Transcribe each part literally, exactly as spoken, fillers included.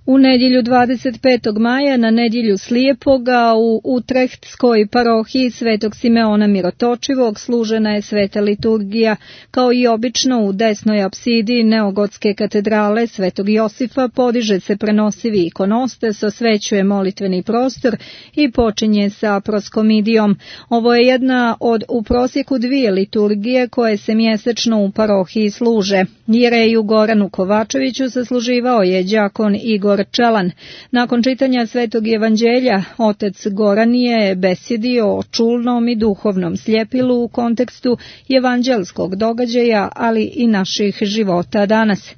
U nedjelju dvadeset petog maja na nedjelju Slijepoga u Utrehtskoj parohiji Svetog Simeona Mirotočivog služena je sveta liturgija. Kao i obično u desnoj apsidi neogotske katedrale Svetog Josifa podiže se prenosivi ikonostas, osvećuje molitveni prostor i počinje sa proskomidijom. Ovo je jedna od u prosjeku dvije liturgije koje se mjesečno u parohiji služe. Jereju Goranu Kovačeviću sasluživao je đakon Igor Čelan. Nakon čitanja Svetog evanđelja, otac Goran je besjedio o čulnom i duhovnom sljepilu u kontekstu evanđelskog događaja, ali i naših života danas.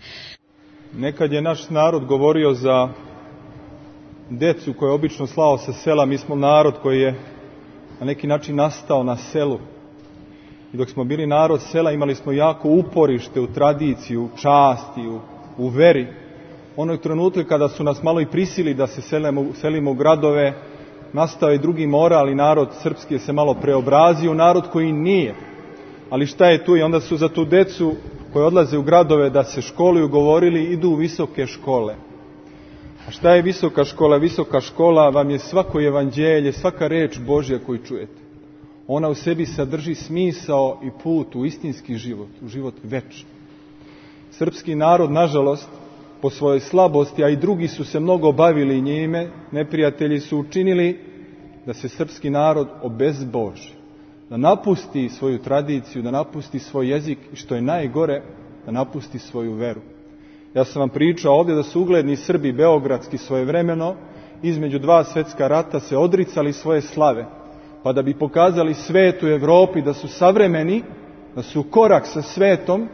Nekad je naš narod govorio za decu koje je obično slao sa sela. Mi smo narod koji je na neki način nastao na selu. I dok smo bili narod sela, imali smo jako uporište u tradiciju, u časti, u, u veri. Onog trenutka kada su nas malo i prisili da se selimo, selimo u gradove, nastao je drugi moral i narod srpski je se malo preobrazio, narod koji nije. Ali šta je tu? I onda su za tu decu koji odlaze u gradove da se školuju govorili, idu u visoke škole. A šta je visoka škola? Visoka škola vam je svako evanđelje, svaka reč Božja koju čujete. Ona u sebi sadrži smisao i put u istinski život, u život večni. Srpski narod, nažalost, po svojoj slabosti, a i drugi su se mnogo bavili njime, neprijatelji su učinili da se srpski narod obezboži, da napusti svoju tradiciju, da napusti svoj jezik i što je najgore, da napusti svoju veru. Ja sam vam pričao ovdje da su ugledni Srbi beogradski svojevremeno između dva svjetska rata se odricali svoje slave, pa da bi pokazali svetu Evropi da su savremeni, da su korak sa svetom,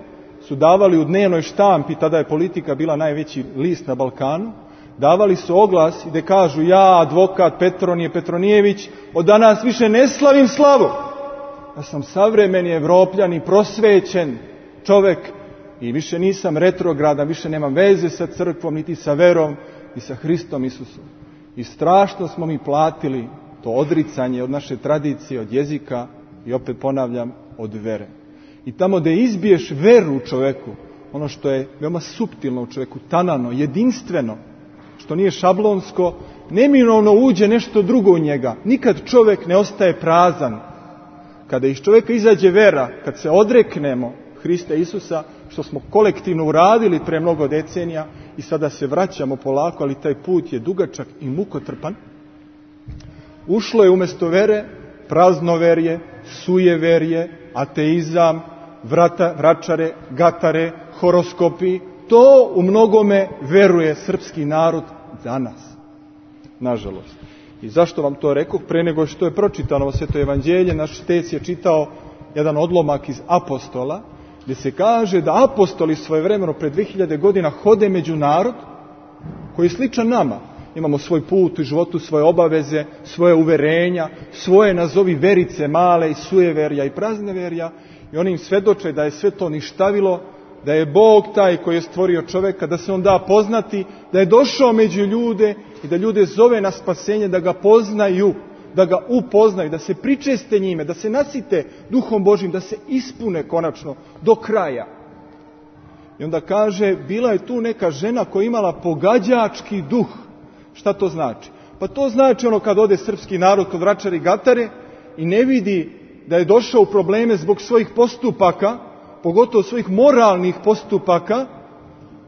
su davali u dnevnoj štampi, tada je Politika bila najveći list na Balkanu, davali su oglas i da kažu: ja, advokat Petronije Petronijević, od danas više ne slavim slavu. Ja sam savremeni Evropljan i prosvećen čovek i više nisam retrogradan, više nemam veze sa crkvom, niti sa verom, i sa Hristom Isusom. I strašno smo mi platili to odricanje od naše tradicije, od jezika i opet ponavljam, od vere. I tamo gdje izbiješ veru u čoveku, ono što je veoma suptilno u čoveku, tanano, jedinstveno, što nije šablonsko, neminovno uđe nešto drugo u njega. Nikad čovjek ne ostaje prazan. Kada iz čovjeka izađe vera, kad se odreknemo Hrista Isusa, što smo kolektivno uradili pre mnogo decenija i sada se vraćamo polako, ali taj put je dugačak i mukotrpan, ušlo je umjesto vere praznoverje, sujeverje, ateizam, vrata, vračare, gatare, horoskopi. To u mnogome veruje srpski narod danas, nažalost. I zašto vam to rekoh? Pre nego što je pročitano ovo sveto evanđelje, naš tec je čitao jedan odlomak iz Apostola, gdje se kaže da apostoli svojevremeno pred dve hiljade godina hode među narod koji je sličan nama. Imamo svoj put u životu, svoje obaveze, svoje uverenja, svoje nazovi verice male i sujeverja i prazneverja, i oni im svedoče da je sve to ništavilo, da je Bog taj koji je stvorio čoveka, da se on da poznati, da je došao među ljude i da ljude zove na spasenje, da ga poznaju, da ga upoznaju, da se pričeste njime, da se nasite Duhom Božjim, da se ispune konačno do kraja. I onda kaže, bila je tu neka žena koja je imala pogađački duh. Šta to znači? Pa to znači ono kad ode srpski narod kod vračare i gatare i ne vidi da je došao u probleme zbog svojih postupaka, pogotovo svojih moralnih postupaka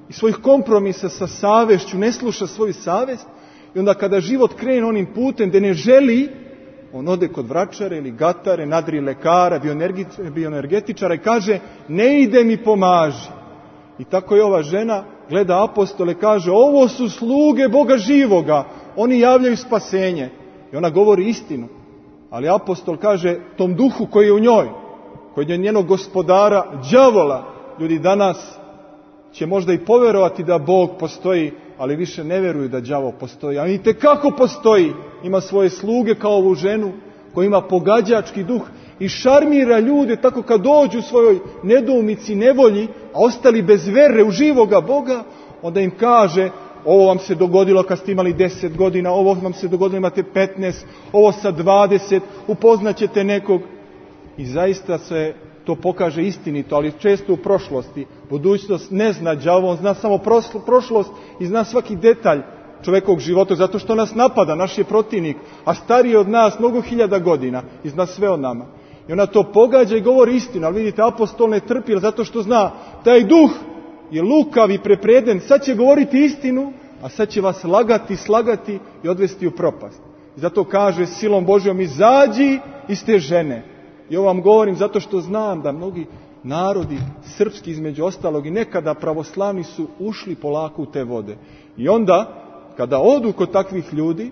i svojih kompromisa sa savešću, ne sluša svoju savest, i onda kada život krene onim putem gdje ne želi, on ode kod vračare ili gatare, nadri lekara, bioenergetičara i kaže: ne ide mi, pomaži. I tako je ova žena gleda apostole, kaže: ovo su sluge Boga živoga, oni javljaju spasenje. I ona govori istinu. Ali apostol kaže tom duhu koji je u njoj, koji je njenog gospodara, đavola, ljudi danas će možda i poverovati da Bog postoji, ali više ne veruju da đavo postoji. A itekako postoji. Ima svoje sluge kao ovu ženu koja ima pogađački duh i šarmira ljude tako kad dođu u svojoj nedoumici, nevolji, a ostali bez vere u živoga Boga, onda im kaže: ovo vam se dogodilo kad ste imali deset godina, ovo vam se dogodilo imate petnaest, ovo sa dvadeset, upoznaćete nekog. I zaista se to pokaže istinito, ali često u prošlosti. Budućnost ne zna đavo, on zna samo prošlost i zna svaki detalj čovjekovog života, zato što nas napada, naš je protivnik, a stariji je od nas mnogo hiljada godina i zna sve o nama. I ona to pogađa i govori istinu, ali vidite, apostol ne trpi, zato što zna, taj duh je lukav i prepreden, sad će govoriti istinu, a sad će vas lagati, slagati i odvesti u propast. I zato kaže silom Božjom, izađi iz te žene. I ovo vam govorim zato što znam da mnogi narodi, srpski između ostalog i nekada pravoslavni, su ušli polako u te vode. I onda, kada odu kod takvih ljudi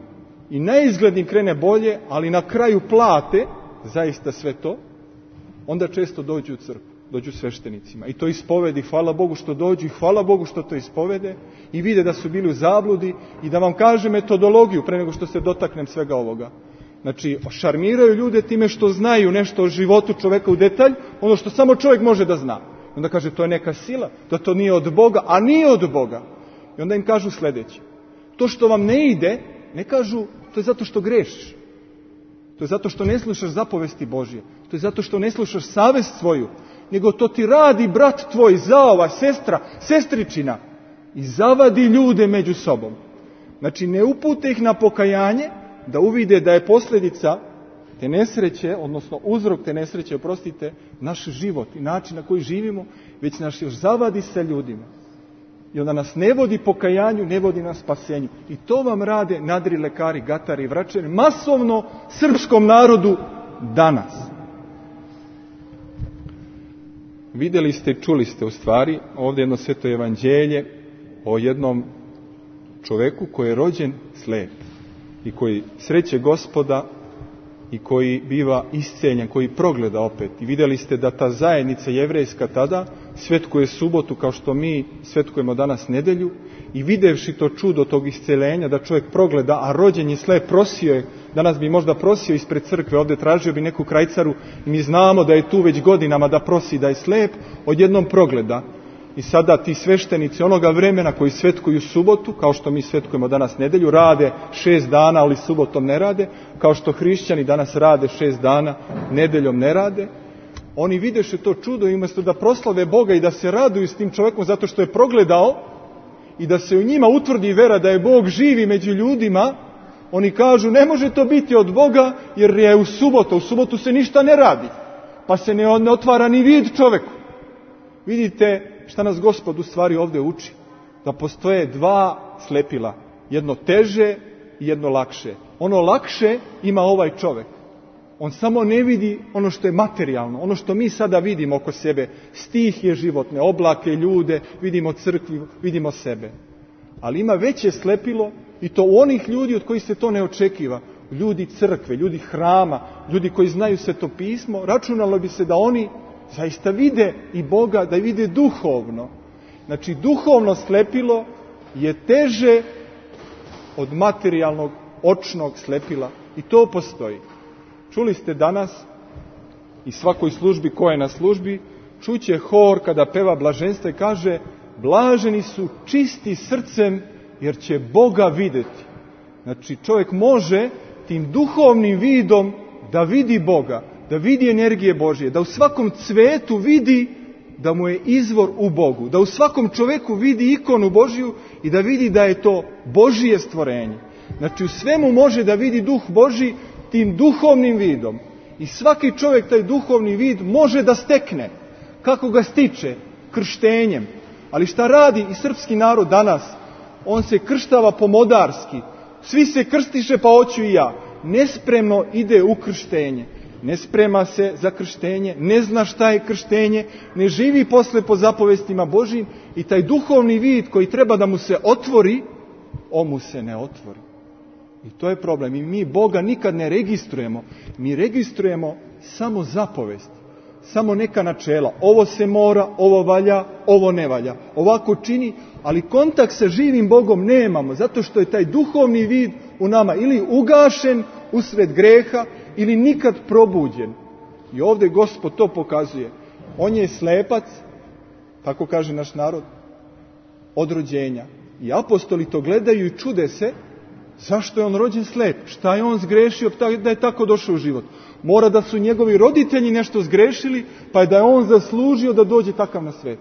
i neizgled im krene bolje, ali na kraju plate zaista sve to, onda često dođu u crkvu, dođu sveštenicima. I to ispovedi, hvala Bogu što dođu i hvala Bogu što to ispovede i vide da su bili u zabludi. I da vam kažem metodologiju pre nego što se dotaknem svega ovoga. Znači, šarmiraju ljude time što znaju nešto o životu čoveka u detalj, ono što samo čovjek može da zna. Onda kaže, to je neka sila, da to nije od Boga, a nije od Boga. I onda im kažu sljedeće. To što vam ne ide, ne kažu, to je zato što grešiš. To je zato što ne slušaš zapovesti Božje. To je zato što ne slušaš savest svoju. Nego to ti radi brat tvoj, zaova, sestra, sestričina. I zavadi ljude među sobom. Znači, ne upute ih na pokajanje, da uvide da je posljedica te nesreće, odnosno uzrok te nesreće, oprostite, naš život i način na koji živimo, već nas još zavadi sa ljudima. I onda nas ne vodi pokajanju, ne vodi nas spasenju. I to vam rade nadri lekari, gatari i vračari, masovno srpskom narodu danas. Vidjeli ste, čuli ste u stvari, ovdje jedno sveto evanđelje o jednom čoveku koji je rođen slijep i koji sreće Gospoda i koji biva isceljen, koji progleda opet. I vidjeli ste da ta zajednica jevrejska tada svetkuje subotu kao što mi svetkujemo danas nedelju i videvši to čudo tog isceljenja da čovjek progleda, a rođen je slep, prosio je, danas bi možda prosio ispred crkve, ovdje tražio bi neku krajcaru i mi znamo da je tu već godinama da prosi da je slep, odjednom progleda. I sada ti sveštenici onoga vremena koji svetkuju subotu, kao što mi svetkujemo danas nedelju, rade šest dana, ali subotom ne rade, kao što hrišćani danas rade šest dana, nedeljom ne rade. Oni videše to čudo i umjesto da proslave Boga i da se raduju s tim čovjekom zato što je progledao i da se u njima utvrdi vera da je Bog živi među ljudima, oni kažu ne može to biti od Boga jer je u subotu, u subotu se ništa ne radi, pa se ne otvara ni vid čovjeku. Vidite šta nas Gospod u stvari ovdje uči? Da postoje dva slepila. Jedno teže i jedno lakše. Ono lakše ima ovaj čovjek. On samo ne vidi ono što je materijalno. Ono što mi sada vidimo oko sebe. Stihije životne, oblake, ljude, vidimo crkvu, vidimo sebe. Ali ima veće slepilo i to u onih ljudi od kojih se to ne očekiva. Ljudi crkve, ljudi hrama, ljudi koji znaju Sveto pismo. Računalo bi se da oni zaista vide i Boga, da vide duhovno. Znači, duhovno slepilo je teže od materijalnog, očnog slepila. I to postoji. Čuli ste danas i svakoj službi koja je na službi, čuće hor kada peva blaženstvo i kaže blaženi su čisti srcem jer će Boga vidjeti. Znači, čovjek može tim duhovnim vidom da vidi Boga, da vidi energije Božje, da u svakom cvetu vidi da mu je izvor u Bogu, da u svakom čovjeku vidi ikonu Božju i da vidi da je to Božje stvorenje. Znači, u svemu može da vidi duh Božji tim duhovnim vidom. I svaki čovjek taj duhovni vid može da stekne. Kako ga stiče? Krštenjem. Ali šta radi i srpski narod danas? On se krštava pomodarski. Svi se krstiše pa hoću i ja. Nespremno ide u krštenje. Ne sprema se za krštenje, ne zna šta je krštenje, ne živi posle po zapovestima Božjim i taj duhovni vid koji treba da mu se otvori, on mu se ne otvori. I to je problem. I mi Boga nikad ne registrujemo. Mi registrujemo samo zapovesti, samo neka načela. Ovo se mora, ovo valja, ovo ne valja. Ovako čini, ali kontakt sa živim Bogom nemamo, zato što je taj duhovni vid u nama ili ugašen usred greha, ili nikad probuđen. I ovdje Gospod to pokazuje. On je slepac, tako kaže naš narod, od rođenja. I apostoli to gledaju i čude se, zašto je on rođen slep? Šta je on zgrešio da je tako došao u život? Mora da su njegovi roditelji nešto zgrešili, pa je da je on zaslužio da dođe takav na svet.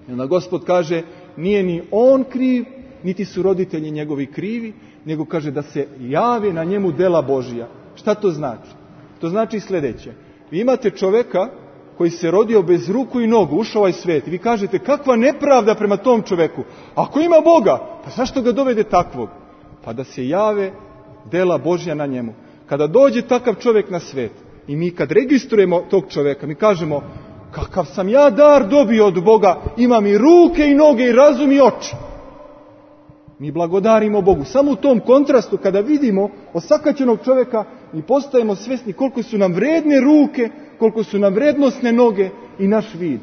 I onda Gospod kaže, nije ni on kriv, niti su roditelji njegovi krivi, nego kaže da se jave na njemu dela Božija. Šta to znači? To znači sljedeće. Vi imate čovjeka koji se rodio bez ruku i nogu, ušao ovaj svijet. I vi kažete, kakva nepravda prema tom čovjeku. Ako ima Boga, pa zašto ga dovede takvog? Pa da se jave dela Božja na njemu. Kada dođe takav čovjek na svijet i mi kad registrujemo tog čovjeka, mi kažemo, kakav sam ja dar dobio od Boga, imam i ruke i noge i razum i oči. Mi blagodarimo Bogu. Samo u tom kontrastu, kada vidimo osakaćenog čovjeka, mi postajemo svjesni koliko su nam vredne ruke, koliko su nam vrednosne noge i naš vid.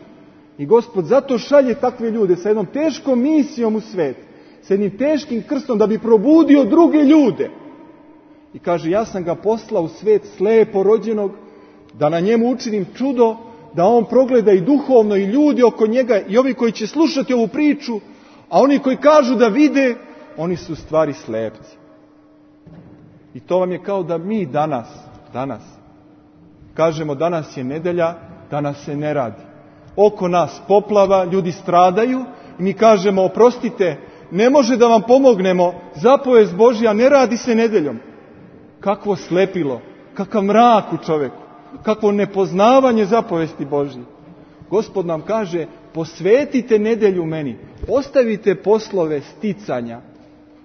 I Gospod zato šalje takve ljude sa jednom teškom misijom u svijet, sa jednim teškim krstom da bi probudio druge ljude. I kaže, ja sam ga poslao u svijet slepo rođenog, da na njemu učinim čudo, da on progleda i duhovno i ljudi oko njega i ovi koji će slušati ovu priču, a oni koji kažu da vide, oni su u stvari slepci. I to vam je kao da mi danas, danas, kažemo danas je nedjelja, danas se ne radi. Oko nas poplava, ljudi stradaju i mi kažemo, oprostite, ne može da vam pomognemo, zapovest Božja ne radi se nedjeljom. Kakvo slepilo, kakav mrak u čoveku, kakvo nepoznavanje zapovesti Božje. Gospod nam kaže, posvetite nedjelju meni, ostavite poslove sticanja,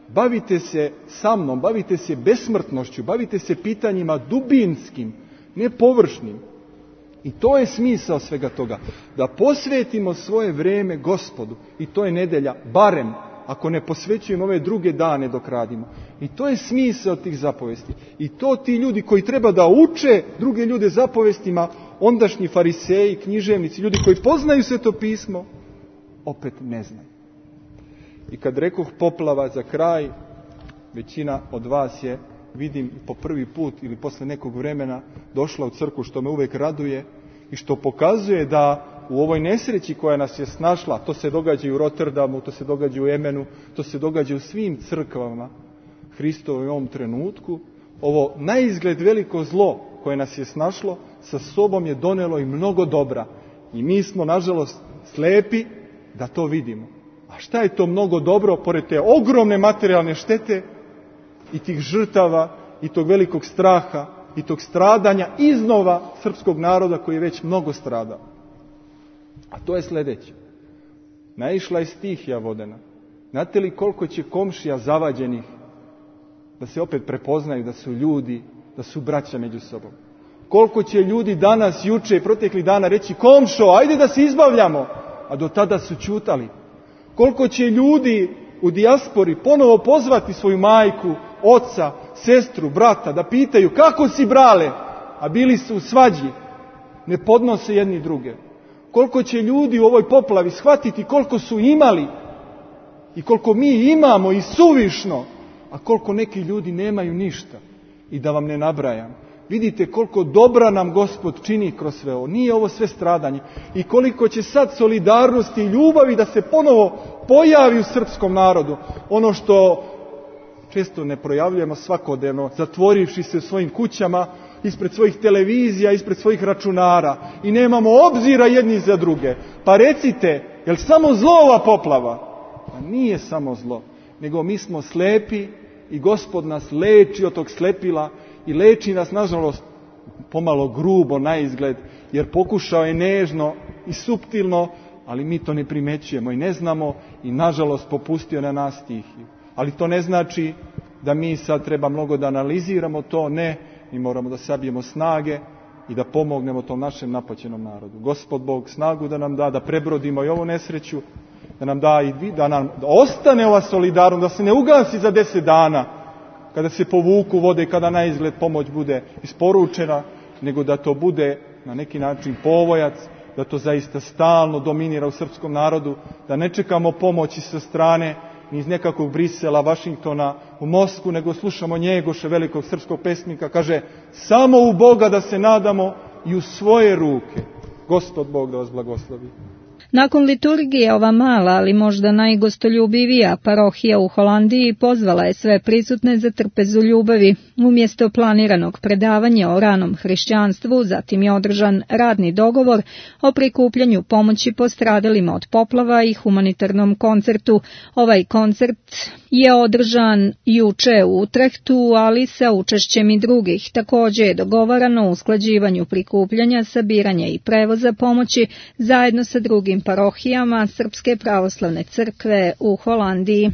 bavite se sa mnom, bavite se besmrtnošću, bavite se pitanjima dubinskim, ne površnim. I to je smisao svega toga, da posvetimo svoje vrijeme Gospodu, i to je nedjelja, barem ako ne posvećujemo ove druge dane dok radimo. I to je smisao tih zapovesti. I to ti ljudi koji treba da uče druge ljude zapovestima, ondašnji fariseji, književnici, ljudi koji poznaju Sveto pismo, opet ne znaju. I kad rekoh poplava za kraj, većina od vas je, vidim, po prvi put ili posle nekog vremena došla u crkvu, što me uvijek raduje i što pokazuje da u ovoj nesreći koja nas je snašla, to se događa i u Rotterdamu, to se događa u Emenu, to se događa u svim crkvama Hristovoj u ovom trenutku, ovo naizgled veliko zlo koje nas je snašlo, sa sobom je donelo i mnogo dobra. I mi smo, nažalost, slepi da to vidimo. A šta je to mnogo dobro, pored te ogromne materijalne štete i tih žrtava i tog velikog straha i tog stradanja iznova srpskog naroda koji je već mnogo stradao? A to je sljedeće. Naišla je stihija vodena. Znate li koliko će komšija zavađenih da se opet prepoznaju da su ljudi, da su braća među sobom? Koliko će ljudi danas, juče i proteklih dana reći, komšo, ajde da se izbavljamo, a do tada su ćutali. Koliko će ljudi u dijaspori ponovo pozvati svoju majku, oca, sestru, brata, da pitaju, kako si, brale, a bili su u svađi, ne podnose jedni druge. Koliko će ljudi u ovoj poplavi shvatiti koliko su imali i koliko mi imamo i suvišno, a koliko neki ljudi nemaju ništa. I da vam ne nabrajam. Vidite koliko dobra nam Gospod čini kroz sve ovo. Nije ovo sve stradanje. I koliko će sad solidarnosti i ljubavi da se ponovo pojavi u srpskom narodu. Ono što često ne projavljujemo svakodnevno, zatvorivši se u svojim kućama, ispred svojih televizija, ispred svojih računara i nemamo obzira jedni za druge. Pa recite, je li samo zlo ova poplava? Pa nije samo zlo, nego mi smo slepi i Gospod nas leči od tog slepila i leči nas, nažalost, pomalo grubo na izgled, jer pokušao je nežno i suptilno, ali mi to ne primećujemo i ne znamo i, nažalost, popustio na nas stihiju. Ali to ne znači da mi sad treba mnogo da analiziramo to, ne. Mi moramo da sabijemo snage i da pomognemo tom našem napaćenom narodu. Gospod Bog snagu da nam da, da prebrodimo i ovu nesreću, da nam da i vi, da nam da ostane ova solidarnost, da se ne ugasi za deset dana, kada se povuku vode i kada na izgled pomoć bude isporučena, nego da to bude na neki način povojac, da to zaista stalno dominira u srpskom narodu, da ne čekamo pomoći sa strane ni iz nekakvog Brisela, Vašingtona, u Moskvu, nego slušamo Njegoša, velikog srpskog pesnika, kaže, samo u Boga da se nadamo i u svoje ruke. Gospod Bog da vas blagoslovi. Nakon liturgije ova mala, ali možda najgostoljubivija parohija u Holandiji pozvala je sve prisutne za trpezu ljubavi. Umjesto planiranog predavanja o ranom hrišćanstvu, zatim je održan radni dogovor o prikupljanju pomoći postradalima od poplava i humanitarnom koncertu. Ovaj koncert je održan juče u Utrehtu, ali sa učešćem i drugih. Također je dogovarano o usklađivanju prikupljanja, sabiranja i prevoza pomoći zajedno sa drugim parohijama Srpske pravoslavne crkve u Holandiji.